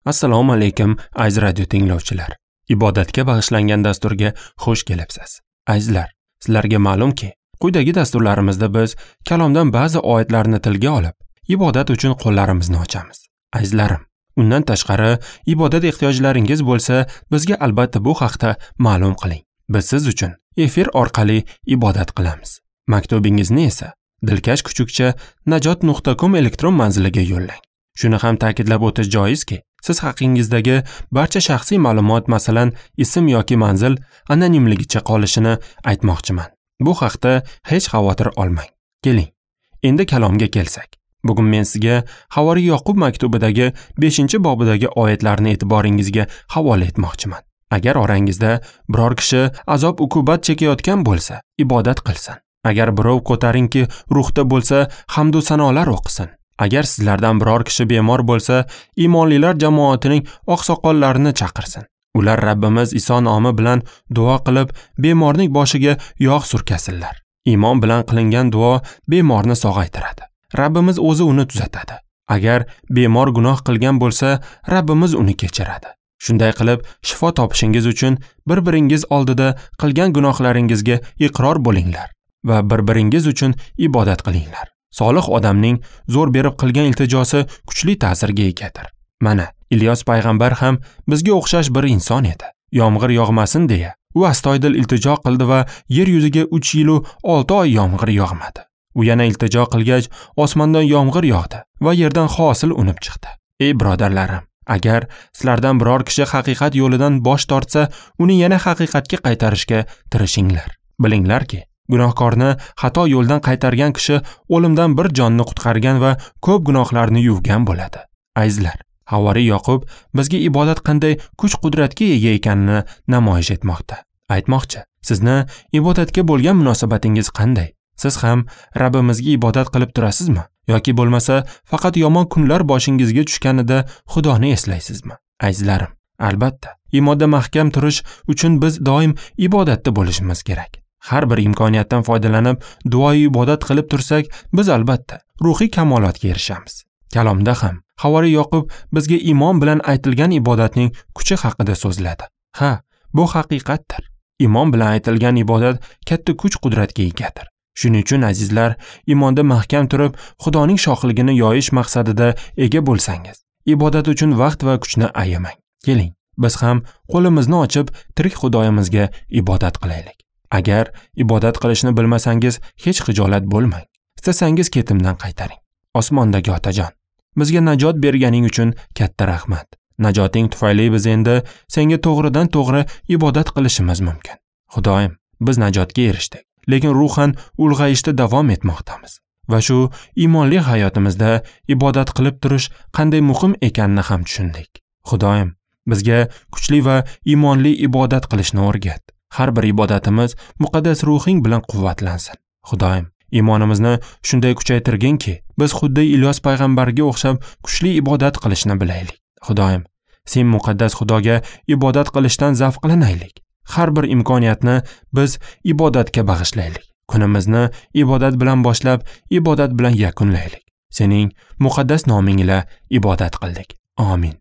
Assalomu alaykum, aziz radio tinglovchilar. Ibodatga bag'ishlangan dasturga xush kelibsiz. Azizlar, sizlarga ma'lumki, quyidagi dasturlarimizda biz kalomdan ba'zi oyatlarni tilga olib, ibodat uchun qo'llarimizni ochamiz. Azizlarim, undan tashqari ibodat ehtiyojlaringiz bo'lsa, bizga albatta bu haqda ma'lum qiling. Biz siz uchun efir orqali ibodat qilamiz. Maktubingizni esa dilkash@najot.com elektron manziliga yo'llang. Shuni ham ta'kidlab o'tish joizki, siz haqingizdagi barcha shaxsiy ma'lumot, masalan, ism yoki manzil anonimligicha qolishini aytmoqchiman. Bu haqda hech xavotir olmang. Keling, endi kalomga kelsak. Bugun men sizga Havoriy Yoqub maktubidagi 5-bobidagi oyatlarni e'tiboringizga havola etmoqchiman. Agar orangizda biror kishi azob-uqubat chekayotgan bo'lsa, ibodat qilsin. Agar birov ko'tarinki ruhda bo'lsa, hamd va sanolar o'qisin. Agar sizlardan biror kishi bemor bo'lsa, iymonlilar jamoatining oqsoqollarini chaqirsin. Ular Rabbimiz Iso nomi bilan duo qilib, bemorning boshiga yog' surkasinlar. Iymon bilan qilingan duo bemorni sog'aytiradi. Rabbimiz o'zi uni tuzatadi. Agar bemor gunoh qilgan bo'lsa, Rabbimiz uni kechiradi. Shunday qilib, shifo topishingiz uchun bir-biringiz oldida qilgan gunohlaringizga iqror bo'linglar va bir-biringiz uchun ibodat qilinglar. Solih odamning zo'r berib qilgan iltijosi kuchli ta'sirga egadir. Mana, Ilyos payg'ambar ham bizga o'xshash bir inson edi. Yomg'ir yog'masin deya, u astoydil iltijo qildi va yer yuziga 3 yil 6 oy yomg'ir yog'madi. U yana iltijo qilgach, osmondan yomg'ir yog'di va yerdan hosil unib chiqdi. Ey birodarlarim, agar sizlardan biror kishi haqiqat yo'lidan bosh tortsa, uni yana haqiqatga qaytarishga tirishinglar. Bilinglarki, gunohkorni xato yo'ldan qaytargan kishi o'limdan bir jonni qutqargan va ko'p gunohlarni yuvgan bo'ladi. Azizlar, Havoriy Yoqub bizga ibodat qanday kuch-qudratga ega ekanini namoyish etmoqda. Aytmoqchi, sizni ibodatga bo'lgan munosabatingiz qanday? Siz ham Rabbimizga ibodat qilib turasizmi? Yoki bo'lmasa faqat yomon kunlar boshingizga tushganida Xudoni eslaysizmi? Azizlarim, albatta, iymonda mahkam turish uchun biz doim ibodatda bo'lishimiz kerak. Har bir imkoniyatdan foydalanib duo ibodat qilib tursak, biz albatta ruhiy kamolotga erishamiz. Kalomda ham Havoriy Yoqub bizga iymon bilan aytilgan ibodatning kuchi haqida so'zladi. Ha, bu haqiqatdir. Iymon bilan aytilgan ibodat katta kuch-qudratga egadir. Shuning uchun azizlar, iymonda mahkam turib, Xudoning shohligini yoyish maqsadida ega bo'lsangiz, ibodat uchun vaqt va kuchni ayamang. Keling, biz ham qo'limizni ochib tirik Xudoyimizga ibodat qilaylik. Agar ibodat qilishni bilmasangiz, hech xijolat bo'lmang. Istasangiz ketimdan qaytaring. Osmondagi Otajon, bizga najot berganing uchun katta rahmat. Najoting tufayli biz endi senga to'g'ridan to'g'ri ibodat qilishimiz mumkin. Xudoyim, biz najotga erishdik, lekin ruhan ulg'ayishda davom etmoqdamiz. Va shu iymonli hayotimizda ibodat qilib turish qanday muhim ekanini ham tushundik. Xudoyim, bizga kuchli va iymonli ibodat qilishni o'rgat. Har bir ibodatimiz muqaddas ruhing bilan quvvatlansin. Xudoyim, iymonimizni shunday kuchaytirginki, biz xuddi Ilyos payg'ambarga o'xshab kuchli ibodat qilishni bilaylik. Xudoyim, sen muqaddas Xudoga ibodat qilishdan zavqlanaylik. Har bir imkoniyatni biz ibodatga bag'ishlaylik. Kunimizni ibodat bilan boshlab, ibodat bilan yakunlaylik. Sening muqaddas noming ila ibodat qildik. Amin.